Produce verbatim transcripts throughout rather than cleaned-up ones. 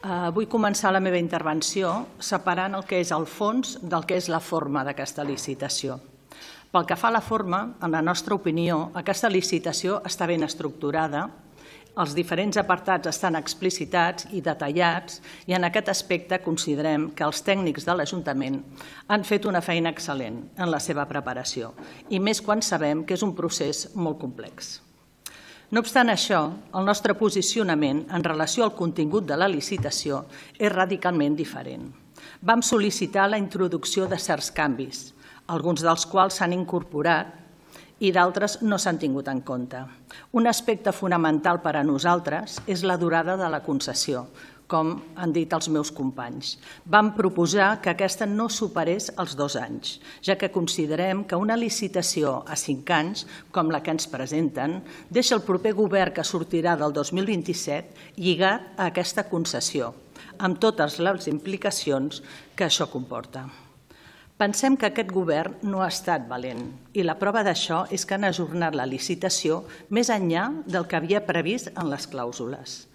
Vull començar la meva intervenció separant el que és el fons del que és la forma d'aquesta licitació. Pel que fa a la forma, en la nostra opinió, aquesta licitació està ben estructurada, els diferents apartats estan explicitats i detallats i en aquest aspecte considerem que els tècnics de l'Ajuntament han fet una feina excel·lent en la seva preparació i més quan sabem que és un procés molt complex. No obstant això, el nostre posicionament en relació al contingut de la licitació és radicalment diferent. Vam sol·licitar la introducció de certs canvis, alguns dels quals s'han incorporat i d'altres no s'han tingut en compte. Un aspecte fonamental per a nosaltres és la durada de la concessió, com han dit els meus companys. Vam proposar que aquesta no superés els dos anys, ja que considerem que una licitació a cinc anys, com la que ens presenten, deixa el proper govern que sortirà del dos mil vint-i-set lligat a aquesta concessió, amb totes les implicacions que això comporta. Pensem que aquest govern no ha estat valent i la prova d'això és que han ajornat la licitació més enllà del que havia previst en les clàusules.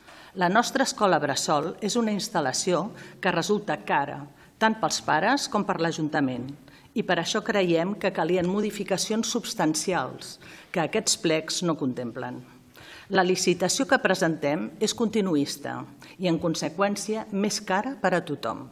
La nostra escola bressol és una instal·lació que resulta cara, tant pels pares com per l'Ajuntament, i per això creiem que calien modificacions substancials que aquests plecs no contemplen. La licitació que presentem és continuista i, en conseqüència, més cara per a tothom.